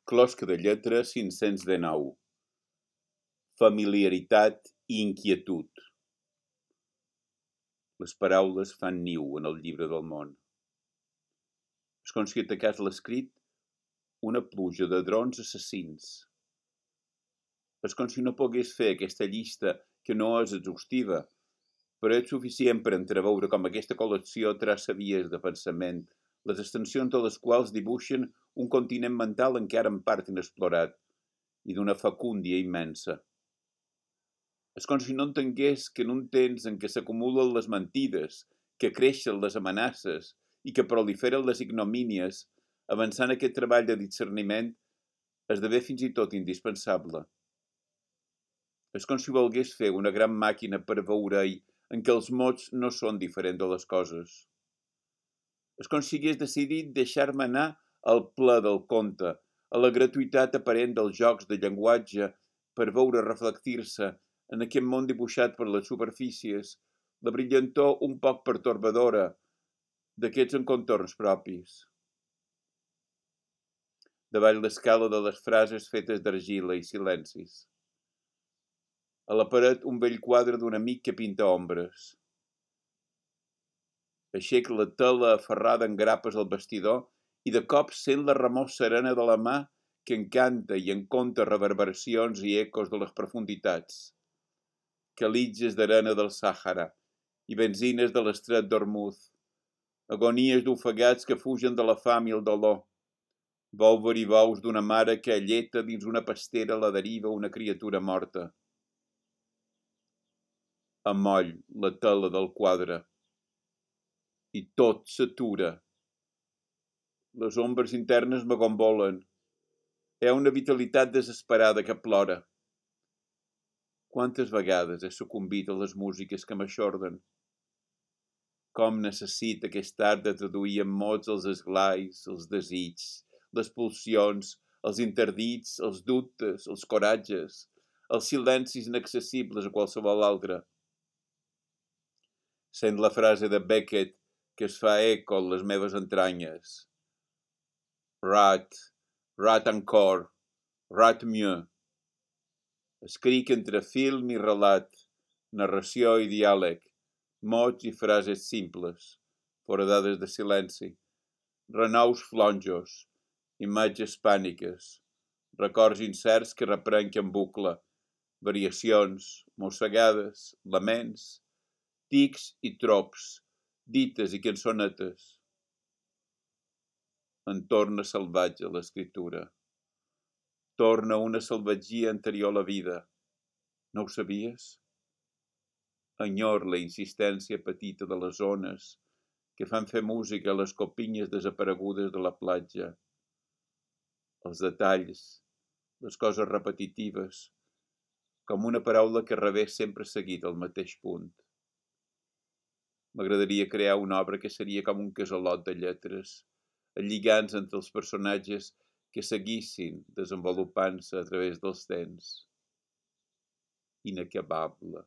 Closca de lletra 519. Familiaritat i inquietud. Les paraules fan niu en el llibre del món. És com si atacàs l'escrit una pluja de drons assassins. És com si no pogués fer aquesta llista que no és exhaustiva, però és suficient per entreveure com aquesta col·lecció traça vies de pensament, les extensions de les quals dibuixen un continent mental encara en part inexplorat i d'una facúndia immensa. És com si no entengués que en un temps en què s'acumulen les mentides, que creixen les amenaces i que proliferen les ignomínies, avançant aquest treball de discerniment esdevé fins i tot indispensable. És com si volgués fer una gran màquina per veure-hi en què els mots no són diferents de les coses. És com si hagués decidit deixar-me anar al ple del conte, a la gratuïtat aparent dels jocs de llenguatge per veure reflectir-se en aquest món dibuixat per les superfícies, la brillantor un poc pertorbadora d'aquests encontorns propis. Davall l'escala de les frases fetes d'argila i silencis. A la paret un vell quadre d'un amic que pinta ombres. Aixec la tela aferrada en grapes al vestidor i de cop sent la remor serena de la mà que encanta i en conta reverberacions i ecos de les profunditats. Calitges d'arena del Sàhara i benzines de l'estret d'Ormuz. Agonies d'ofegats que fugen de la fam i el dolor. Bou veribous d'una mare que alleta dins una pastera a la deriva una criatura morta. Amoll la tela del quadre. I tot s'atura. Les ombres internes m'agombolen. Hi ha una vitalitat desesperada que plora. Quantes vegades he sucumbit a les músiques que m'aixorden? Com necessita aquest art de traduir en mots els esglais, els desigs, les pulsions, els interdits, els dubtes, els coratges, els silencis inaccessibles a qualsevol altre. Sent la frase de Beckett que es fa eco en les meves entranyes. Rat, rat encore, rat mieux. Escric entre film i relat, narració i diàleg, mots i frases simples, foradades de silenci, renous flonjos, imatges pàniques, records incerts que reprenc en bucle, variacions, mossegades, laments, tics i trops, dites i cançonetes. En torna salvatge l'escriptura. Torna una salvatgia anterior a la vida. No ho sabies? Enyor la insistència petita de les ones que fan fer música a les copinyes desaparegudes de la platja. Els detalls, les coses repetitives, com una paraula que rebés sempre seguit al mateix punt. M'agradaria crear una obra que seria com un casalot de lletres, lligants entre els personatges que seguissin desenvolupant-se a través dels temps. Inacabable.